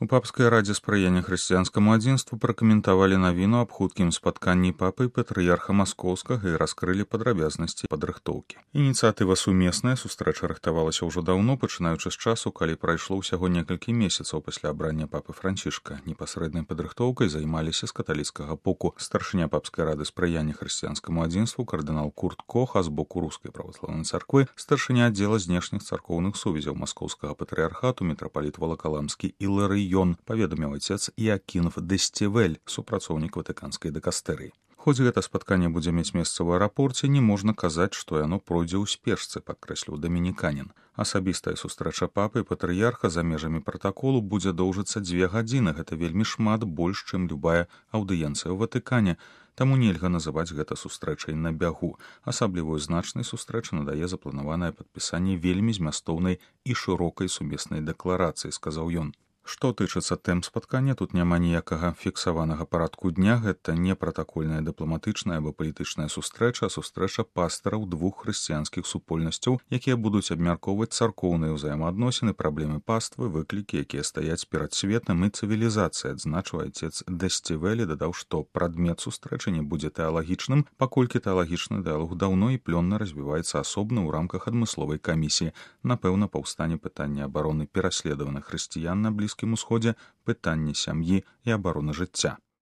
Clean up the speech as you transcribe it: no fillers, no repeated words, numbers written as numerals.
У папскай радзе спрыяння хрысціянскаму адзінству пракаментавалі навіну аб хуткім спатканні папы і патрыярха маскоўскага і раскрылі падрабязнасці падрыхтоўкі. Ініцыятыва сумесная, сустрэча рыхтавалася ўжо даўно, пачынаючы з часу, калі прайшло ўсяго некалькі месяцаў пасля абрання папы Францішка. Непасрэднай падрыхтоўкай займаліся з каталіцкага боку старшыня папскай рады спрыяння хрысціянскаму адзінству кардынал Курт Кох, а з боку рускай праваслаўнай царквы старшыня аддзела знешніх царкоўных сувязяў маскоўскага патрыярхату мітрапаліт Валакаламскі Іларый Ён, паведаміў отец Іакінф Десцівель, супрацоўнік ватыканскай дыкастэрыі. Хоць гэта спатканне будзе мець месца ў аэрапорце, не можна казаць, што яно пройдзе ў спешцы, падкрэсліў дамініканін. Асабістая сустрэча папы і патрыярха за межамі пратаколу будзе доўжыцца 2 гадзіны. Гэта вельмі шмат, больш, чым любая аўдыенцыя ў Ватыкане. Таму нельга называць гэта сустрэчай на бягу. Асаблівую значнай сустрэчы надае запланаванае падпісанне вельмі змястоўнай і шырокай сумеснай дэкларацыі, сказаў ён. Што тычыцца тэм спаткання, тут няма ніякага фіксаванага парадку дня, гэта не пратакольная дыпламатычная або палітычная сустрэча, а сустрэча пастараў 2 хрысціянскіх супольнасцяў, якія будуць абмяркоўваць царкоўныя ўзаемаадносіны, праблемы паствы, выклікі, якія стаяць перад светам і цывілізацыяй, адзначыў отец Десцівель, дадаў, што прадмет сустрэчы не будзе тэалагічным, паколькі тэалагічны дыялог даўно і плённа развіваецца асобна ў рамках адмысловай камісіі. Напэўна, паўстане пытанне абароны пераследаваных хрысціян на Блізкім Усходзе, пытанне сям'і і абароны жыцця.